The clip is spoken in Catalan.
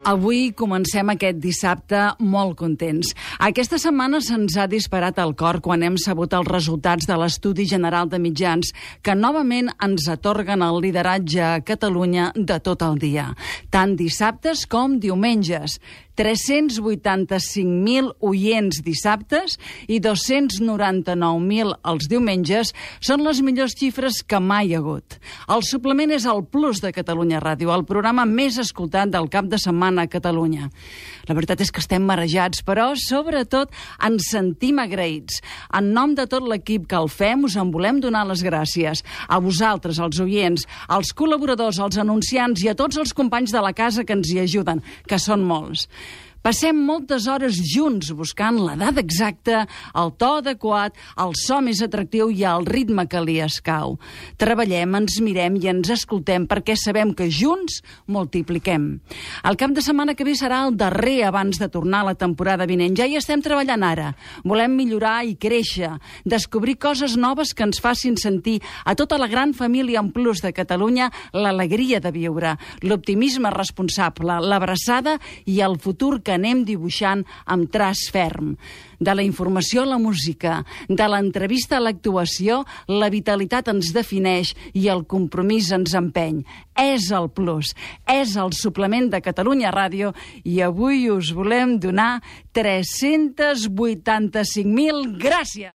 Avui comencem aquest dissabte molt contents. Aquesta setmana se'ns ha disparat el cor quan hem sabut els resultats de l'Estudi General de Mitjans, que novament ens atorguen el lideratge a Catalunya de tot el dia, tant dissabtes com diumenges. 385.000 oients dissabtes i 299.000 els diumenges són les millors xifres que mai hi ha hagut. El suplement és el Plus de Catalunya Ràdio, el programa més escoltat del cap de setmana a Catalunya. La veritat és que estem marejats, però sobretot ens sentim agraïts. En nom de tot l'equip que el fem, us en volem donar les gràcies. A vosaltres, els oients, als col·laboradors, als anunciants i a tots els companys de la casa que ens hi ajuden, que són molts. Passem moltes hores junts buscant l'edat exacta, el to adequat, el so més atractiu i el ritme que li escau. Treballem, ens mirem i ens escoltem perquè sabem que junts multipliquem. El cap de setmana que ve serà el darrer abans de tornar a la temporada vinent. Ja hi estem treballant ara. Volem millorar i créixer, descobrir coses noves que ens facin sentir a tota la gran família en Plus de Catalunya l'alegria de viure, l'optimisme responsable, l'abraçada i el futur que anem dibuixant amb traç ferm. De la informació a la música, de l'entrevista a l'actuació, la vitalitat ens defineix i el compromís ens empeny. És el Plus, és el suplement de Catalunya Ràdio i avui us volem donar 385.000 gràcies.